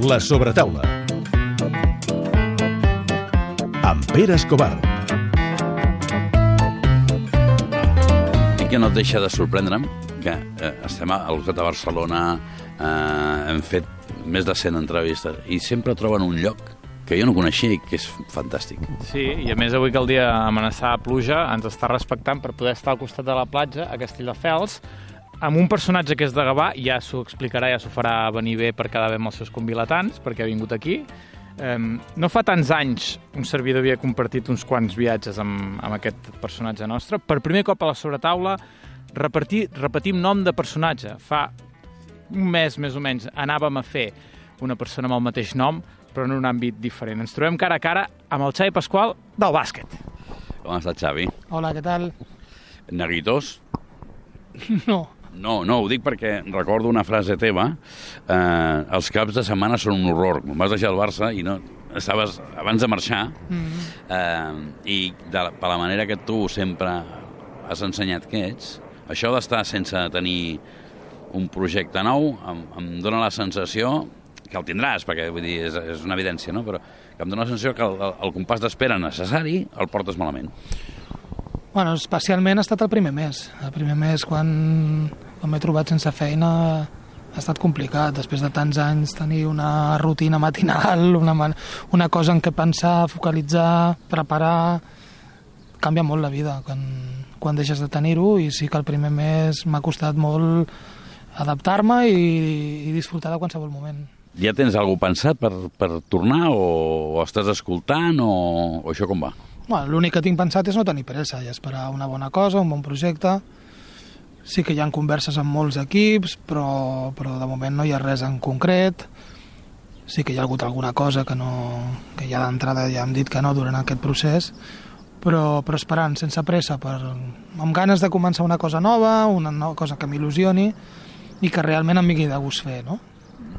La sobretaula. Amb Pere Escobar. I que no et deixa de sorprendre'm que estem al costat de Barcelona, hem fet més de 100 entrevistes i sempre troben un lloc que jo no coneixia i que és fantàstic. Sí, i a més avui que el dia amenaçava pluja ens està respectant per poder estar al costat de la platja a Castelldefels amb un personatge que és de Gavà, ja s'ho explicarà, ja s'ho farà venir bé per quedar bé amb els seus convilatans, perquè ha vingut aquí. No fa tants anys un servidor havia compartit uns quants viatges amb aquest personatge nostre. Per primer cop a la sobretaula repetim nom de personatge. Fa un mes, més o menys, anàvem a fer una persona amb el mateix nom, però en un àmbit diferent. Ens trobem cara a cara amb el Xavi Pasqual del bàsquet. Com has estat, Xavi? Hola, què tal? Neguitós? No. No, ho dic perquè recordo una frase teva. Els caps de setmana són un horror. Em vas deixar el Barça i no estaves abans de marxar. I per la manera que tu sempre has ensenyat que ets, això d'estar sense tenir un projecte nou em dóna la sensació que el tindràs, perquè vull dir, és una evidència, no? Però que em dóna la sensació que el compàs d'espera necessari el portes malament. Bueno, especialment ha estat el primer mes. El primer mes, quan m'he trobat sense feina, ha estat complicat. Després de tants anys tenir una rutina matinal, una cosa en què pensar, focalitzar, preparar, canvia molt la vida quan deixes de tenir-ho, i sí que el primer mes m'ha costat molt adaptar-me i disfrutar de qualsevol moment. Ja tens alguna cosa pensat per tornar o estàs escoltant o això com va? Bueno, l'únic que tinc pensat és no tenir pressa i esperar una bona cosa, un bon projecte. Sí que hi ha converses amb molts equips, però de moment no hi ha res en concret. Sí que hi ha hagut alguna cosa que ja d'entrada ja hem dit que no durant aquest procés, però esperant, sense pressa, amb ganes de començar una cosa nova, una cosa que m'il·lusioni i que realment em vingui de gust fer, no?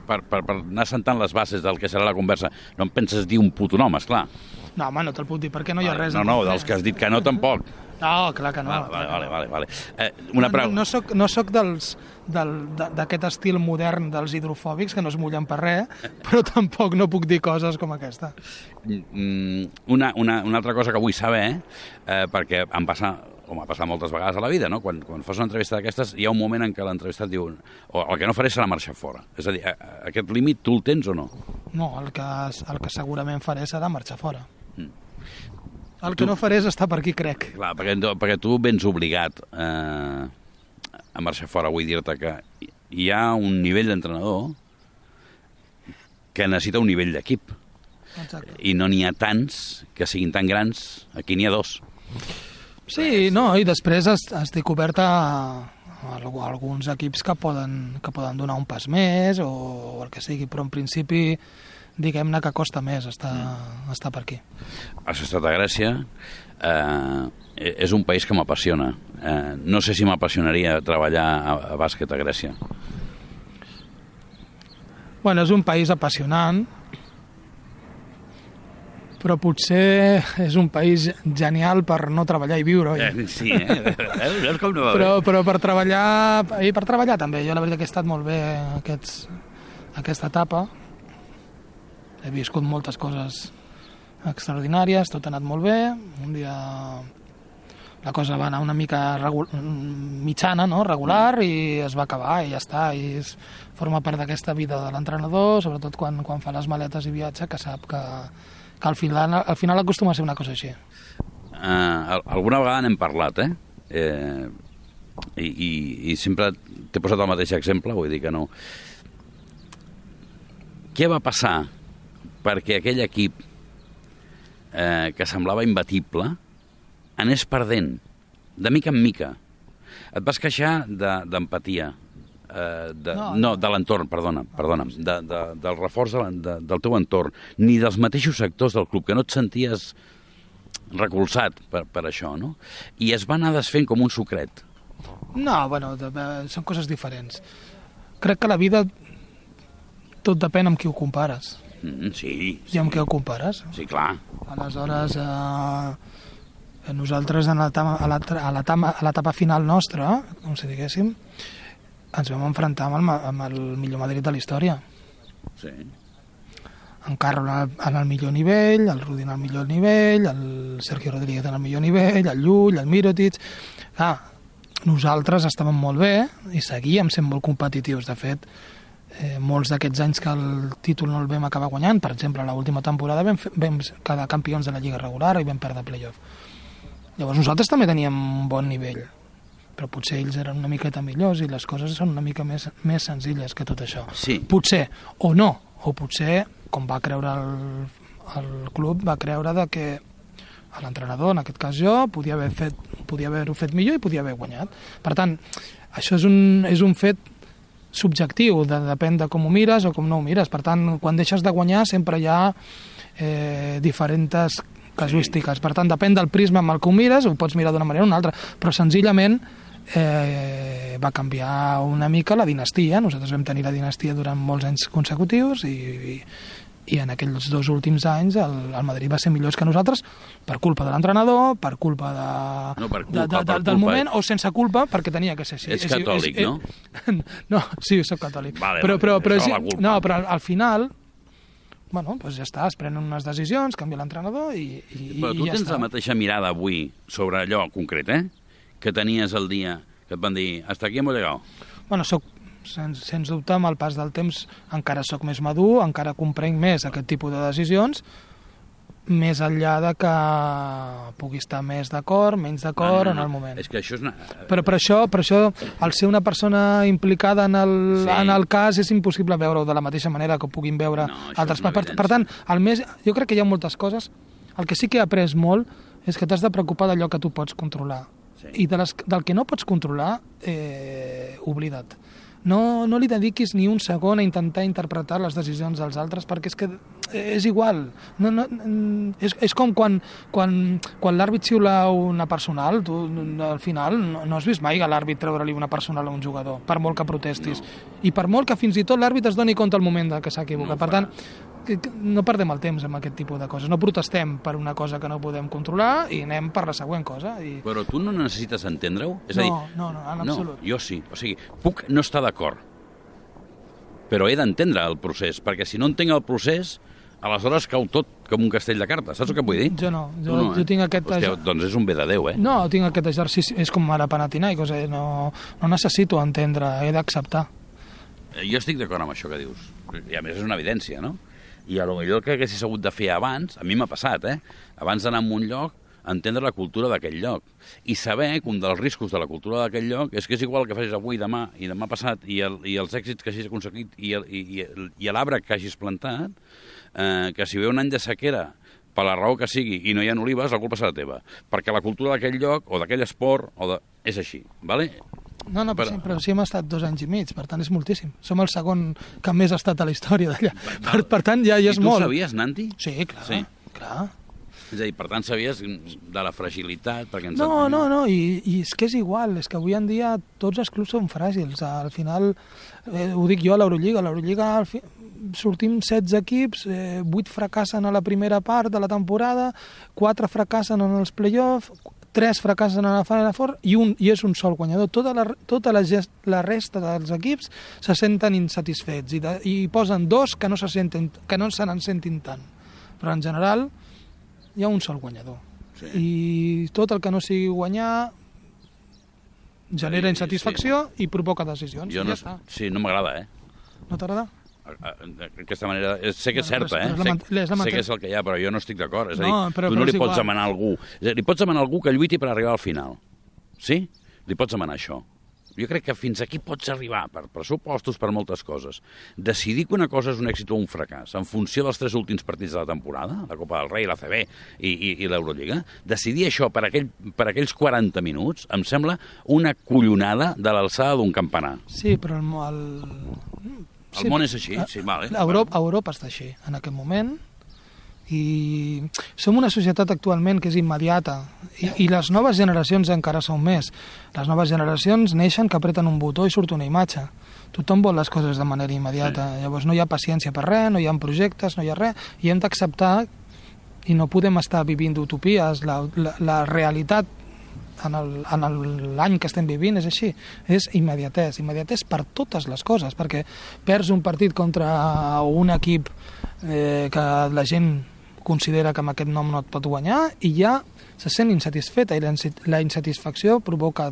Per anar sentant les bases del que serà la conversa. No em penses dir un puto nom, esclar. No, home, no te'l puc dir perquè no hi ha res. No, dels que has dit que no, tampoc. No, clar que no. Vale. No soc d'aquest estil modern dels hidrofòbics que no es mullen per res, però tampoc no puc dir coses com aquesta. Una altra cosa que vull saber, perquè m'ha passat moltes vegades a la vida, no? Quan fas una entrevista d'aquestes, hi ha un moment en què l'entrevistat diu el que no faré serà marxar fora. És a dir, aquest límit tu el tens o no? No, el que segurament faré serà marxar fora. El que no faré és estar per aquí, crec. Clar, perquè tu vens obligat a marxar fora. Vull dir-te que hi ha un nivell d'entrenador que necessita un nivell d'equip. Exacte. I no n'hi ha tants que siguin tan grans. Aquí n'hi ha dos. Sí, no, i després estic obert a alguns equips que poden donar un pas més o el que sigui, però en principi diguem-ne que costa més estar per aquí. Has estat a Grècia, és un país que m'apassiona. No sé si m'apassionaria treballar a bàsquet a Grècia. Bueno, és un país apassionant, però potser és un país genial per no treballar i viure, oi? Sí, veus com no va bé? Però per treballar també. Jo la veritat que he estat molt bé aquesta etapa. He viscut moltes coses extraordinàries, tot ha anat molt bé. Un dia la cosa va anar una mica mitjana, no? Regular, i es va acabar i ja està. I forma part d'aquesta vida de l'entrenador, sobretot quan fa les maletes i viatja, que sap que al final acostuma a ser una cosa així. Alguna vegada n'hem parlat, I sempre t'he posat el mateix exemple, vull dir que no. Què va passar perquè aquell equip que semblava imbatible anés perdent, de mica en mica? Et vas queixar d'empatia, de l'entorn, perdona'm, del reforç del teu entorn, ni dels mateixos sectors del club, que no et senties recolzat per això, no? I es va anar desfent com un sucret. No, bueno, són coses diferents. Crec que la vida tot depèn amb qui ho compares. Sí. I amb què ho compares? Sí, clar. Aleshores, nosaltres a l'etapa final nostra, com si diguéssim, ens vam enfrontar amb el millor Madrid de la història. Sí. en Carlo en el millor nivell, el Rudi en el millor nivell, el Sergio Rodríguez en el millor nivell, el Llull, el Mirotic... Nosaltres estàvem molt bé i seguíem sent molt competitius. De fet, molts d'aquests anys que el títol no el vam acabar guanyant, per exemple, l'última temporada vam quedar campions de la Lliga regular i vam perdre playoff. Llavors nosaltres també teníem un bon nivell, però potser ells eren una miqueta millors i les coses són una mica més senzilles que tot això. Sí. Potser, o no, o potser, com va creure el club, va creure de que l'entrenador, en aquest cas jo, podia haver-ho fet millor i podia haver guanyat. Per tant, això és un fet subjectiu, depèn de com ho mires o com no ho mires. Per tant, quan deixes de guanyar sempre hi ha diferents casuístiques. Per tant, depèn del prisma amb el que ho mires, ho pots mirar d'una manera o una altra, però senzillament va canviar una mica la dinastia. Nosaltres vam tenir la dinastia durant molts anys consecutius i en aquells 2 últims anys el Madrid va ser millors que nosaltres per culpa de l'entrenador, per culpa del moment, o sense culpa perquè tenia que ser així. Ets catòlic, no? No, sí, soc catòlic. Vale, però però al final, bueno, doncs ja està, es prenen unes decisions, canvia l'entrenador i però tu ja tens està. la mateixa mirada avui sobre allò concret, que tenies el dia que et van dir hasta aquí hemos llegado. Bueno, sens dubte, amb el pas del temps encara sóc més madur, encara comprenc més aquest tipus de decisions, més enllà de que pugui estar més d'acord, menys d'acord en el moment. És que això és Però per això, al ser una persona implicada en el cas, és impossible veure-ho de la mateixa manera que ho puguin veure altres. Per tant, jo crec que hi ha moltes coses. El que sí que he après molt és que t'has de preocupar d'allò que tu pots controlar. I del que no pots controlar, oblida't. No li dediquis ni un segon a intentar interpretar les decisions dels altres, perquè és que és igual. És com quan l'àrbit xiula una personal, tu al final no has vist mai que l'àrbit treure-li una personal a un jugador, per molt que protestis. I per molt que fins i tot l'àrbit es doni compte al moment que s'ha equivocat. Per tant, no perdem el temps amb aquest tipus de coses. No protestem per una cosa que no podem controlar i anem per la següent cosa. Però tu no necessites entendre-ho? És a dir, no, en absolut. No, jo sí. O sigui, puc no estar d'acord, però he d'entendre el procés, perquè si no entenc el procés, aleshores cau tot com un castell de cartes. Saps el que vull dir? Jo no. Jo tinc aquest... Hòstia, doncs és un bé de Déu, No, tinc aquest exercici. És com ara Panathinaikos. No necessito entendre, he d'acceptar. Jo estic d'acord amb això que dius. I a més és una evidència, no? I a lo millor que haguessis hagut de fer abans, a mi m'ha passat, abans d'anar a un lloc, entendre la cultura d'aquell lloc. I saber que un dels riscos de la cultura d'aquell lloc és que és igual que facis avui, demà i demà passat, i els èxits que hagis aconseguit i l'arbre que hagis plantat, que si ve un any de sequera, per la raó que sigui, i no hi ha olives, la culpa serà teva. Perquè la cultura d'aquell lloc, o d'aquell esport, és així, ¿vale? No, però sí hem estat 2 anys i mig, per tant és moltíssim. Som el segon que més ha estat a la història d'allà. Per tant ja és molt. I tu sabies, Nanti? Sí, clar. És a dir, per tant sabies de la fragilitat? No, i és que és igual, és que avui en dia tots els clubs són fràgils. Al final, ho dic jo a l'Eurolliga, sortim 16 equips, 8 fracassen a la primera part de la temporada, 4 fracassen en els play-offs, 3 fracassen a la Final Four i és un sol guanyador. Tota la resta dels equips se senten insatisfets i posen 2 que no se n'en sentin tant. Però en general hi ha un sol guanyador. Sí. I tot el que no sigui guanyar genera insatisfacció i provoca decisions. Ja està. Sí, no m'agrada, No t'agrada? Aquesta manera, sé que és certa, sé que és el que hi ha, però jo no estic d'acord. És a dir, tu no li pots demanar a algú. Li pots demanar a algú que lluiti per arribar al final. Sí? Li pots demanar això. Jo crec que fins aquí pots arribar, per pressupostos, per moltes coses. Decidir que una cosa és un èxit o un fracàs en funció dels 3 últims partits de la temporada, la Copa del Rei, la CB i l'Eurolliga, decidir això per aquells 40 minuts em sembla una collonada de l'alçada d'un campanar. Sí, però el món és així, sí, vale. Europa està així, en aquest moment, i som una societat actualment que és immediata, i les noves generacions encara són més. Les noves generacions neixen que apreten un botó i surt una imatge. Tothom vol les coses de manera immediata, llavors no hi ha paciència per res, no hi ha projectes, no hi ha res, i hem d'acceptar, i no podem estar vivint d'utopies. La realitat l'any que estem vivint és així, és immediatès per totes les coses, perquè perds un partit contra un equip que la gent considera que amb aquest nom no et pot guanyar i ja se sent insatisfeta i la insatisfacció provoca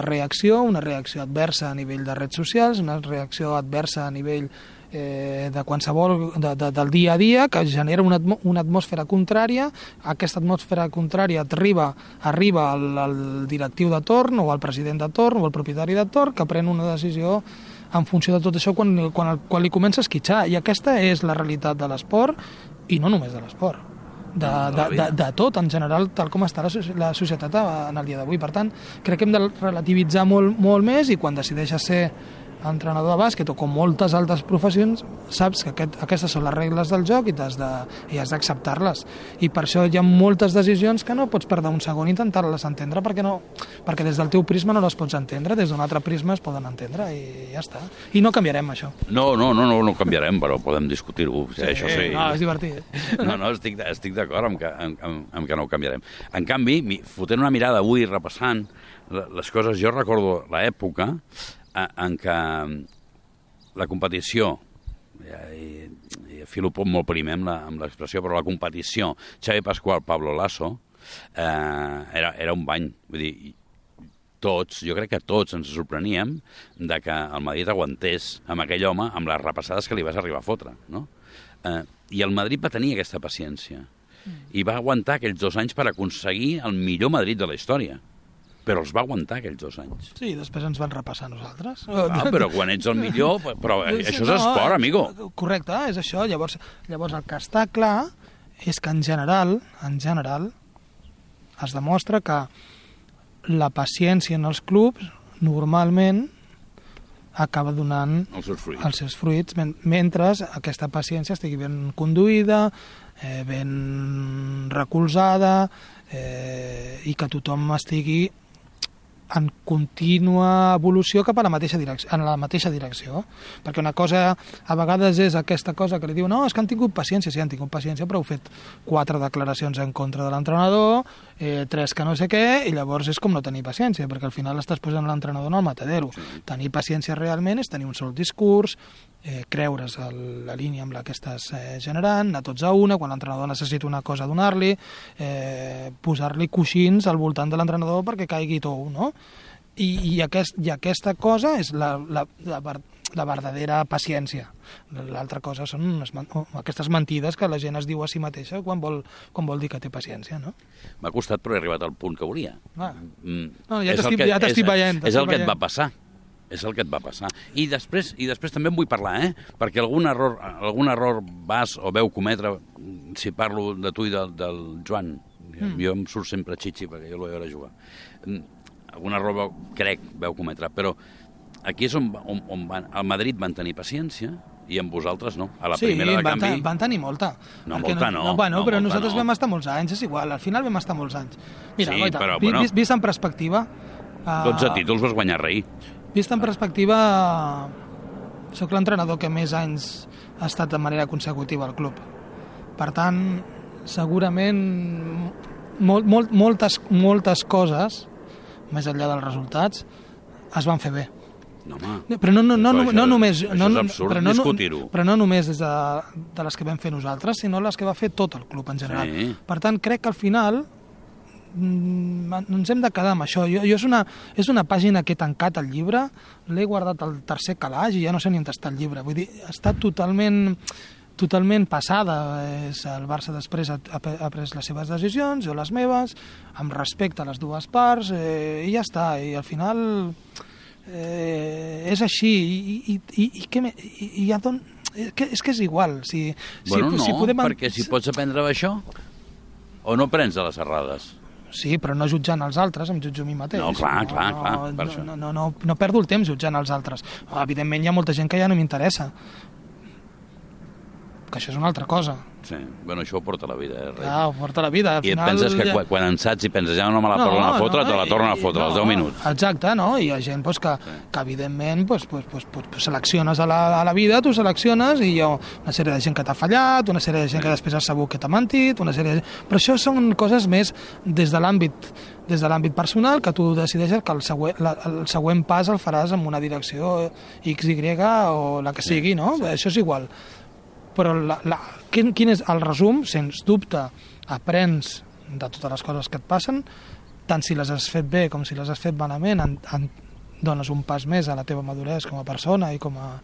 reacció, una reacció adversa a nivell de redes socials, una reacció adversa a nivell de qualsevol del dia a dia, que genera una atmosfera contrària. Aquesta atmosfera contrària arriba al directiu de torn o al president de torn o al propietari de torn, que pren una decisió en funció de tot això quan li comença a esquitxar, i aquesta és la realitat de l'esport, i no només de l'esport, de tot en general, tal com està la societat en el dia d'avui. Per tant, crec que hem de relativitzar molt més, i quan decideixes ser entrenador de bàsquet o com moltes altres professions, saps que aquestes són les regles del joc i has d'acceptar-les, i per això hi ha moltes decisions que no pots perdre un segon intentar-les entendre, perquè des del teu prisma no les pots entendre, des d'un altre prisma es poden entendre, i ja està. I no canviarem això. No canviarem, però podem discutir-ho, això sí. No, és divertit. No, estic d'acord amb que no ho canviarem. En canvi, fotent una mirada avui, repassant les coses, jo recordo l'època en què la competició, i filo molt primer amb l'expressió, però la competició Xavi Pascual, Pablo Lasso, era un bany. Vull dir, jo crec que tots ens sorpreníem de que el Madrid aguantés amb aquell home, amb les repassades que li vas arribar a fotre, no? I el Madrid va tenir aquesta paciència i va aguantar aquells 2 anys per aconseguir el millor Madrid de la història. Però els va aguantar aquells 2 anys. Sí, després ens van repassar nosaltres. Però quan ets el millor... Però això és esport, amigo. Correcte, és això. Llavors el que està clar és que en general es demostra que la paciència en els clubs normalment acaba donant els seus fruits, mentre aquesta paciència estigui ben conduïda, ben recolzada, i que tothom estigui en contínua evolució cap a la mateixa direcció, perquè una cosa a vegades és aquesta cosa que li diu, no, és que han tingut paciència, sí, han tingut paciència, però heu fet 4 declaracions en contra de l'entrenador, 3 que no sé què, i llavors és com no tenir paciència, perquè al final estàs posant l'entrenador en el matadero. Tenir paciència realment és tenir un sol discurs, creure's la línia amb la que estàs generant, anar tots a una, quan l'entrenador necessita una cosa donar-li, posar-li coixins al voltant de l'entrenador perquè caigui tou, no? I aquesta cosa és la verdadera paciència. L'altra cosa són aquestes mentides que la gent es diu a si mateixa quan vol dir que té paciència, no? M'ha costat, però he arribat al punt que volia. No, ja t'estic veient. És el que et va passar. És el que et va passar. I després també en vull parlar, perquè algun error vas o veu cometre, si parlo de tu i del Joan, jo em surt sempre xitxi perquè jo l'he veure jugar, algun error veu cometre, però aquí és on el Madrid van tenir paciència i amb vosaltres no. A la primera de canvi... Sí, van tenir molta. Però nosaltres vam estar molts anys, és igual, al final vam estar molts anys. Mira, vist en perspectiva... 12 títols vas guanyar rei. Vist en perspectiva, sóc l'entrenador que més anys ha estat de manera consecutiva al club. Per tant, segurament moltes coses, més enllà dels resultats, es van fer bé. No, home. Però no només... Això és absurd discutir-ho. Però no només des de les que vam fer nosaltres, sinó les que va fer tot el club en general. Sí. Per tant, crec que al final ens hem de quedar amb això. És una pàgina que he tancat al llibre, l'he guardat al tercer calaix i ja no sé ni on està el llibre. Vull dir, està totalment passada. El Barça després ha pres les seves decisions, jo les meves, amb respecte a les dues parts, i ja està. I al final és així. És que és igual. Perquè si pots aprendre d'això, o no prens de les errades? Sí, però no jutjant els altres, em jutjo a mi mateix. No, clar, per això. No perdo el temps jutjant els altres. Evidentment hi ha molta gent que ja no m'interessa. Que això és una altra cosa. Sí, bueno, això ho porta la vida, Ho porta la vida. Al I et final, penses que quan en saps i penses, ja no me la tornen a fotre, te la tornen a fotre als 10 minuts. Exacte, no? I hi ha gent que evidentment, selecciones a la vida, tu selecciones i hi ha una sèrie de gent que t'ha fallat, una sèrie de gent que després has sabut que t'ha mentit, una sèrie de... Però això són coses més des de l'àmbit personal, que tu decideixes que el següent pas el faràs en una direcció X, Y o la que sigui, no? Això és igual. Però quin és el resum? Sens dubte, aprens de totes les coses que et passen, tant si les has fet bé com si les has fet malament, dones un pas més a la teva maduresa com a persona i com a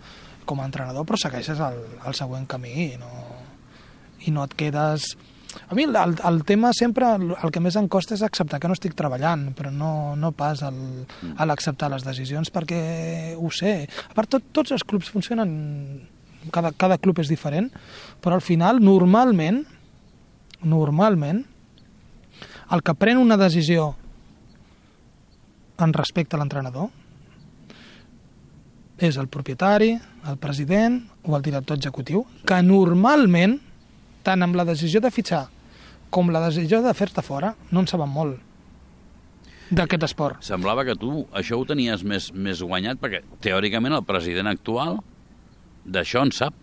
entrenador, però segueixes el següent camí i no et quedes... A mi el tema sempre, el que més em costa és acceptar que no estic treballant, però no pas a l'acceptar les decisions, perquè ho sé. A part, tots els clubs funcionen... Cada club és diferent, però al final, normalment, el que pren una decisió en respecte a l'entrenador és el propietari, el president o el director executiu, que normalment, tant amb la decisió de fitxar com la decisió de fer-te fora, no en saben molt d'aquest esport. Semblava que tu això ho tenies més guanyat, perquè teòricament el president actual d'això en sap.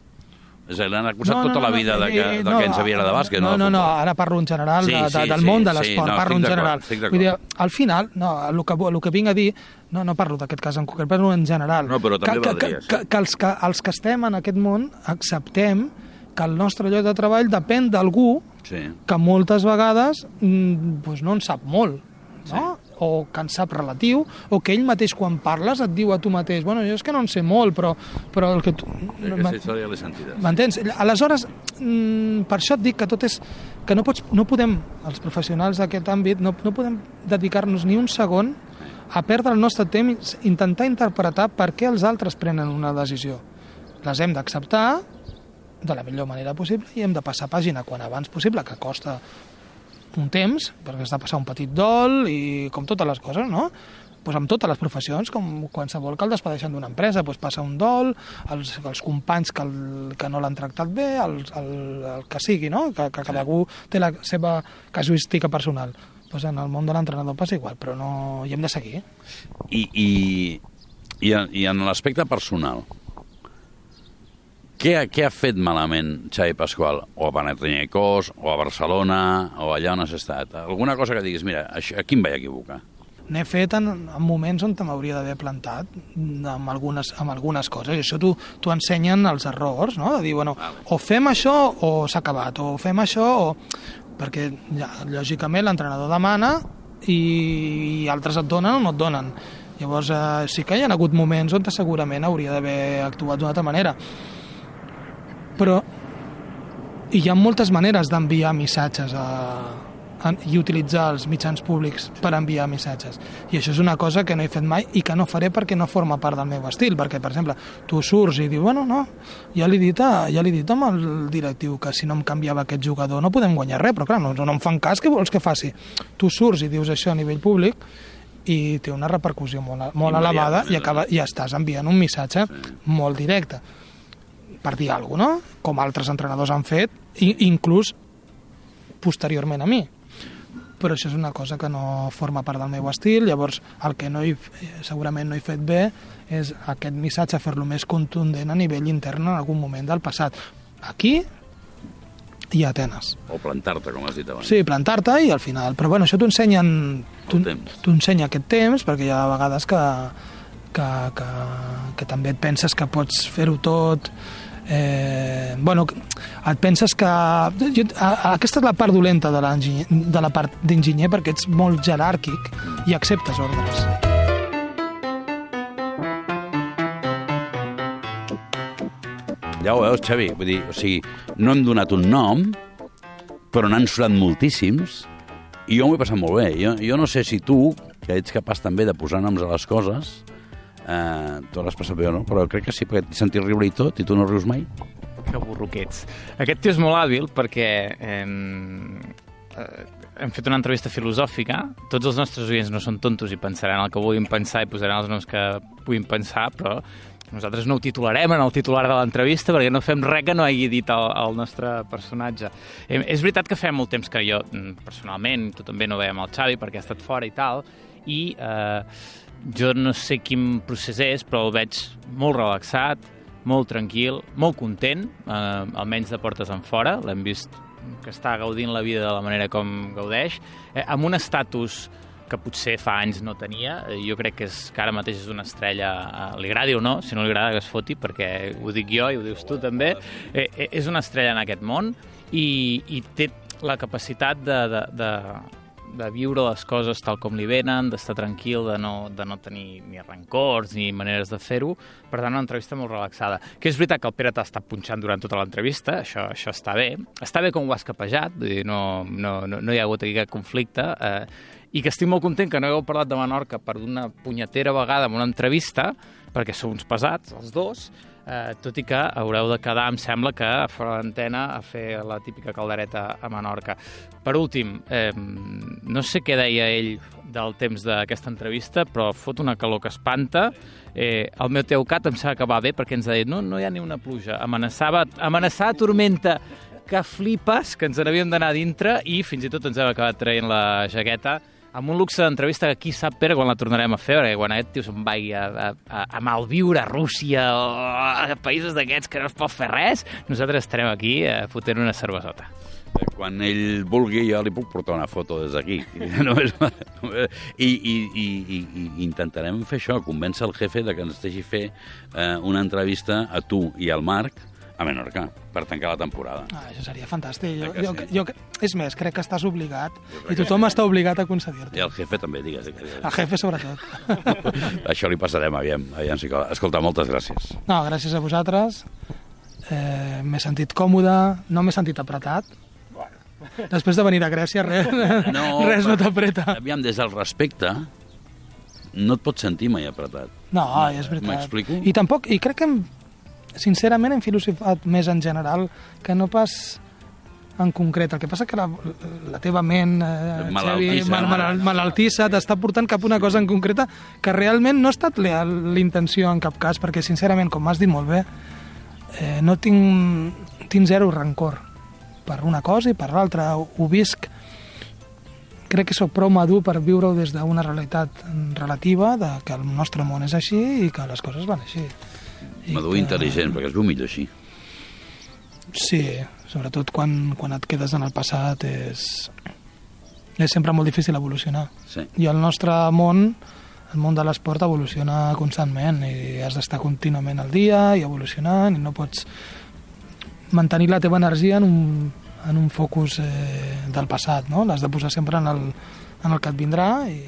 És a dir, l'han acusat tota la vida que ens havia de bàsquet. No, ara parlo en general del món de l'esport, parlo en general. Vull dir, al final, el que vinc a dir, no parlo d'aquest cas en concret, parlo en general. No, però també valdria. Que els que estem en aquest món acceptem que el nostre lloc de treball depèn d'algú que moltes vegades no en sap molt, no? O que en sap relatiu, o que ell mateix quan parles et diu a tu mateix, bueno, jo és que no en sé molt, però el que tu... Aquesta història l'he sentida. M'entens? Aleshores, per això et dic que tot és... que no podem, els professionals d'aquest àmbit, no podem dedicar-nos ni un segon a perdre el nostre temps, intentar interpretar per què els altres prenen una decisió. Les hem d'acceptar de la millor manera possible i hem de passar pàgina quan abans possible, que costa un temps, perquè has de passar un petit dol i com totes les coses, no? Pues amb totes les professions, com qualsevol que el despedeixen d'una empresa, pues passa un dol, els companys que no l'han tractat bé, el que sigui, no? Que cadascú té la seva casuística personal. Pues en el món de l'entrenador passa igual, però no hi hem de seguir. I en l'aspecte personal, què ha fet malament Xavi Pasqual? O a Panathinaikos, o a Barcelona, o allà on has estat? Alguna cosa que diguis, mira, aquí em vaig equivocar. N'he fet en moments on m'hauria d'haver plantat amb algunes coses. I això t'ho ensenyen els errors, no? De dir, bueno, o fem això o s'ha acabat, o fem això o... Perquè, lògicament, l'entrenador demana i altres et donen o no et donen. Llavors, sí que hi ha hagut moments on segurament hauria d'haver actuat d'una altra manera. Però hi ha moltes maneres d'enviar missatges i utilitzar els mitjans públics per enviar missatges. I això és una cosa que no he fet mai i que no faré perquè no forma part del meu estil. Perquè, per exemple, tu surts i dius, bueno, no, ja l'he dit amb el directiu que si no em canviava aquest jugador no podem guanyar res, però clar, no em fan cas, què vols que faci? Tu surts i dius això a nivell públic i té una repercussió molt elevada i estàs enviant un missatge molt directe. Per dir alguna cosa, no? Com altres entrenadors han fet, inclús posteriorment a mi. Però això és una cosa que no forma part del meu estil, llavors el que segurament no he fet bé és aquest missatge fer-lo més contundent a nivell intern en algun moment del passat. Aquí i a Atenes. O plantar-te, com has dit abans. Sí, plantar-te i al final. Però bueno, això t'ho ensenya aquest temps, perquè hi ha vegades que també et penses que pots fer-ho tot... et penses que... Aquesta és la part dolenta de la part d'enginyer, perquè ets molt jeràrquic i acceptes ordres. Ja ho veus, Xavi, vull dir, o sigui, no hem donat un nom, però n'han sonat moltíssims, i jo m'ho he passat molt bé. Jo no sé si tu, que ets capaç també de posar noms a les coses, tu l'has passat bé o no, però crec que sí, perquè t'he sentit riure i tot, i tu no rius mai. Que burro que ets. Aquest tio és molt hàbil perquè hem fet una entrevista filosòfica. Tots els nostres oients no són tontos i pensaran el que vulguin pensar i posaran els noms que puguin pensar, però Nosaltres no ho titularem en el titular de l'entrevista perquè no fem res que no hagi dit el nostre personatge. És veritat que fa molt temps que jo, personalment, tu també no veiem el Xavi perquè ha estat fora i tal, i jo no sé quin procés és, però el veig molt relaxat, molt tranquil, molt content, almenys de portes en fora. L'hem vist que està gaudint la vida de la manera com gaudeix, amb un estatus que potser fa anys no tenia. Jo crec que ara mateix és una estrella, li agradi o no, si no li agrada que es foti, perquè ho dic jo i ho dius tu també, és una estrella en aquest món i té la capacitat de viure les coses tal com li venen, d'estar tranquil, de no tenir ni rancors ni maneres de fer-ho. Per tant, una entrevista molt relaxada. Que és veritat que el Pere t'ha estat punxant durant tota l'entrevista, això està bé. Està bé com ho has capejat, vull dir, no hi ha hagut aquí cap conflicte, i que estic molt content que no hagueu parlat de Menorca per una punyetera vegada en una entrevista, perquè sou uns pesats, els dos, tot i que haureu de quedar, em sembla, que fora l'antena a fer la típica caldereta a Menorca. Per últim, no sé què deia ell del temps d'aquesta entrevista, però fot una calor que espanta. El Meteocat em sembla que va bé perquè ens ha dit no hi ha ni una pluja. Amenaçava tormenta que flipes, que ens n'havíem d'anar dintre i fins i tot ens hem acabat traient la jaqueta amb un luxe d'entrevista que qui sap, Pere, quan la tornarem a fer, perquè quan aquest tio se'n vagi a malviure a Rússia o a països d'aquests que no es pot fer res, nosaltres estarem aquí fotent una cervesota. Quan ell vulgui, jo li puc portar una foto des d'aquí. I intentarem fer això, convèncer el jefe de que ens deixi fer una entrevista a tu i al Marc a Menorca, per tancar la temporada. Això seria fantàstic. És més, crec que estàs obligat, i tothom està obligat a concedir-te. I el jefe també, digues. El jefe, sobretot. Això li passarem, aviam si cola. Escolta, moltes gràcies. No, gràcies a vosaltres. M'he sentit còmode, no m'he sentit apretat. Després de venir a Grècia, res no t'apreta. Aviam, des del respecte, no et pots sentir mai apretat. No, és veritat. M'explico? I crec que sincerament hem filosofat més en general que no pas en concret. El que passa que la teva ment, malaltissa, t'està portant cap a una cosa en concreta que realment no ha estat l'intenció en cap cas, perquè sincerament, com m'has dit molt bé, no tinc zero rancor per una cosa i per l'altra. Ho visc, crec que sóc prou madur per viure-ho des d'una realitat relativa, de que el nostre món és així i que les coses van així. Madur intel·ligent, perquè es viu millor així. Sí, sobretot quan et quedes en el passat és sempre molt difícil evolucionar. Sí. I el nostre món, el món de l'esport, evoluciona constantment i has d'estar contínuament al dia i evolucionant i no pots mantenir la teva energia en un focus del passat, no? L'has de posar sempre en el que et vindrà i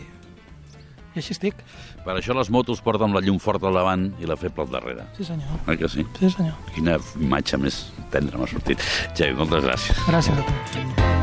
així estic. Per això les motos porten la llum forta al davant i la feble al darrere. Sí, senyor. Oi que sí? Sí, senyor. Quina imatge més tendra m'ha sortit. Xavi, moltes gràcies. Gràcies a tu.